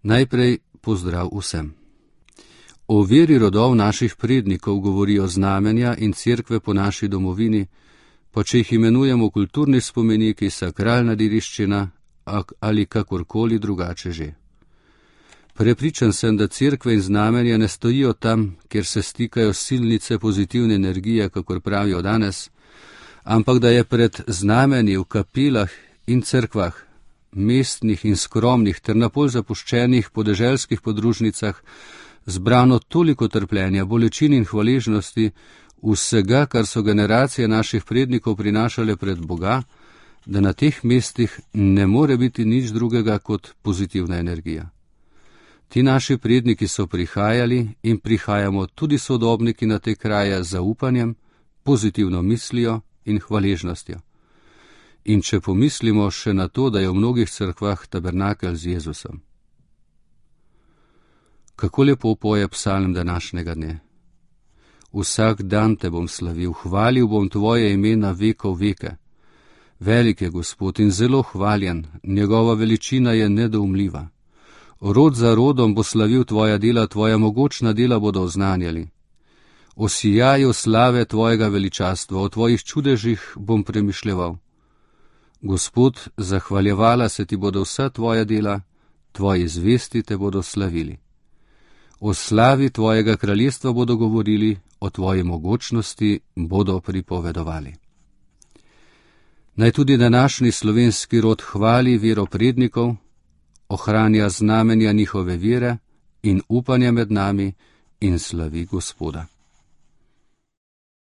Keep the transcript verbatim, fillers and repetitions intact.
Najprej pozdrav vsem. O veri rodov naših prednikov govorijo znamenja in cerkve po naši domovini, pa če jih imenujemo kulturni spomeniki, sakralna dediščina ali kakorkoli drugače že. Prepričan sem, da cerkve in znamenja ne stojijo tam, kjer se stikajo silnice pozitivne energije, kakor pravijo danes, ampak da je pred znamenji v kapelah in cerkvah, mestnih in skromnih ter napol zapuščenih podeželskih podružnicah zbrano toliko trpljenja, bolečin in hvaležnosti, vsega, kar so generacije naših prednikov prinašale pred Boga, da na teh mestih ne more biti nič drugega kot pozitivna energija. Ti naši predniki so prihajali in prihajamo tudi sodobniki na te kraje z zaupanjem, pozitivno mislijo in hvaležnostjo. In če pomislimo še na to, da je v mnogih cerkvah tabernakelj z Jezusom. Kako lepo poje psalm današnjega dne. Vsak dan te bom slavil, hvalil bom tvoje ime na vekov veke. Velik je Gospod in zelo hvaljen, njegova veličina je nedoumljiva. Rod za rodom bo slavil tvoja dela, tvoja mogočna dela bodo oznanjali. O sijaju slave tvojega veličastva, o tvojih čudežih bom premišljeval. Gospod, zahvaljevala se ti bodo vsa tvoja dela, tvoji zvesti te bodo slavili. O slavi tvojega kraljestva bodo govorili, o tvoji mogočnosti bodo pripovedovali. Naj tudi današnji slovenski rod hvali vero prednikov, ohranja znamenja njihove vere in upanja med nami in slavi Gospoda.